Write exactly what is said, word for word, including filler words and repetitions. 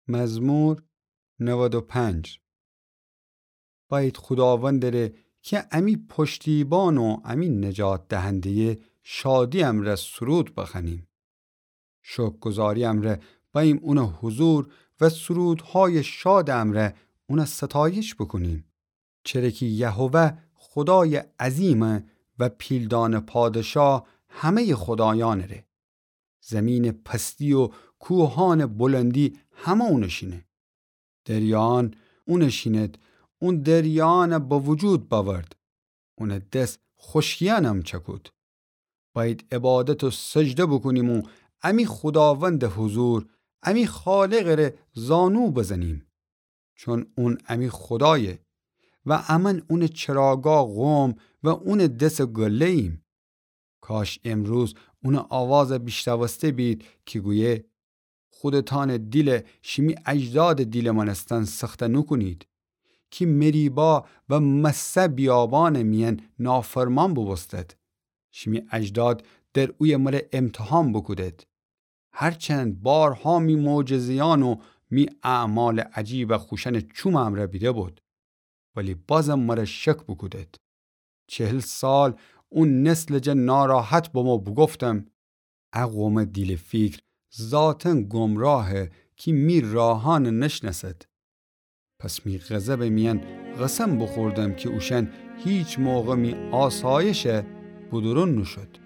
مزمور نود و پنج. بأید خوداوندٚ ره کی امی پشتیبان و امی نجات دهنده‌یه شادی امرأ سرود بخوأنیم. شکرگزاری امرأ بأییم اونٚ حضور و سرودهای شادٚ امرأ اونٚ ستایش بوکونیم. چره کی یهوه خودایٚ عظیمه و پیلدانه پادشا همه‌یٚ خودایأنٚ ره. زیمینٚ پستی و کوهأنٚ بلندی همه اونٚ شینه. دریایأن اونٚ شینید، اون دریایأن به وجود بأورد. اونٚ دس خوشکیأنم چأکود. بأید عبادت و سجده بوکونیم و امی خوداوندٚ حضور، امی خالقٚ ره زانو بزنیم. چون اون امی خودایه و امأن اونٚ چراگاه قوم و اونٚ دسٚ گله‌ییم. کاش امروز اونٚ آوازٚ بیشنوسته بید کی گویه: خودتأنٚ دیل شیمی اجدادٚ دیلٚ مأنستن سخته نوکونید، کی مریبا و مسه بیابانٚ میأن نافرمان بوبوستد. شیمی اجداد در اویه مره امتحان بوکودید. هرچند بارها می معجزه‌یأن و می اعمالٚ عجیب خوشأنٚ چومٚ امرأ بیده بود، ولی بازم مره شک بوکودید. چهل سال او نسلٚ جا ناراحت بمو بوگفتم: ا قومٚ دیلٚ فیکر ذاتاً گمراهه کی می راهأن نشنأسد. پس می غضبٚ میأن قسم بوخوردم کی اوشأن هیچ موقع می آسایشه بودورون نوشود.